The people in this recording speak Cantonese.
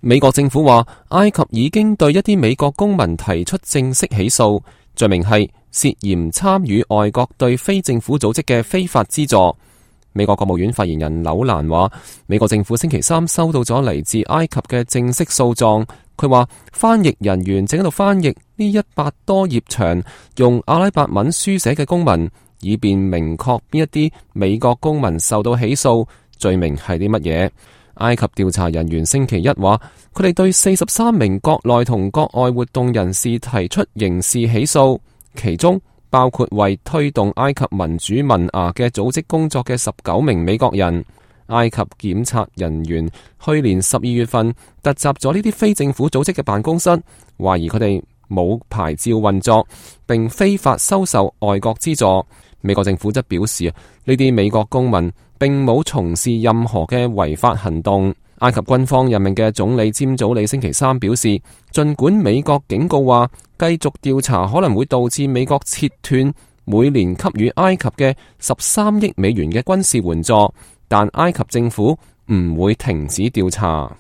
美國政府話，埃及已經對一啲美國公民提出正式起訴，罪名係涉嫌參與外國對非政府組織嘅非法資助。美國國務院發言人紐蘭話，美國政府星期三收到咗嚟自埃及嘅正式訴狀。佢話，翻譯人員正喺度翻譯呢100多頁長用阿拉伯文書寫嘅公文，以便明確邊一啲美國公民受到起訴，罪名係啲乜嘢。埃及調查人員星期一話，佢哋對43名國內同國外活動人士提出刑事起訴，其中包括為推動埃及民主萌芽嘅組織工作嘅19名美國人。埃及檢察人員去年12月份突襲咗呢啲非政府組織嘅辦公室，懷疑佢哋冇牌照運作，並非法收受外國資助。美國政府則表示，呢啲美國公民並冇從事任何嘅違法行動。埃及軍方任命嘅總理詹祖里星期三表示，儘管美國警告話繼續調查可能會導致美國切斷每年給予埃及嘅13億美元嘅軍事援助，但埃及政府唔會停止調查。